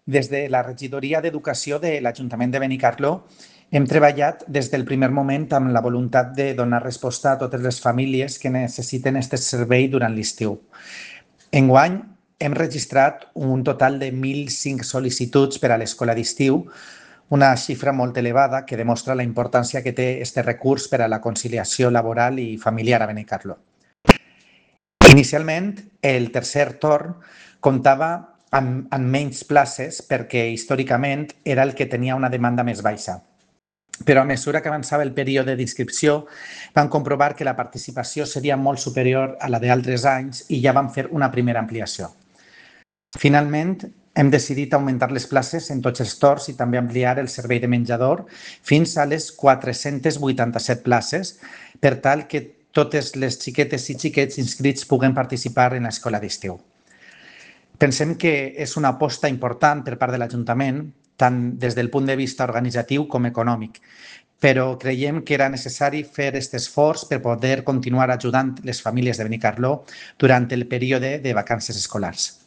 Des de la regidoria d'Educació de l'Ajuntament de Benicarló hem treballat des del primer moment amb la voluntat de donar resposta a totes les famílies que necessiten aquest servei durant l'estiu. Enguany hem registrat un total de 1.005 sol·licituds per a l'escola d'estiu, una xifra molt elevada que demostra la importància que té aquest recurs per a la conciliació laboral i familiar a Benicarló. Inicialment, el tercer torn comptava amb menys places perquè històricament era el que tenia una demanda més baixa. Però a mesura que avançava el període d'inscripció vam comprovar que la participació seria molt superior a la d'altres anys i ja vam fer una primera ampliació. Finalment, hem decidit augmentar les places en tots els torns i també ampliar el servei de menjador fins a les 487 places per tal que totes les xiquetes i xiquets inscrits puguen participar en l'escola d'estiu. Pensem que és una aposta important per part de l'Ajuntament, tant des del punt de vista organitzatiu com econòmic, però creiem que era necessari fer aquest esforç per poder continuar ajudant les famílies de Benicarló durant el període de vacances escolars.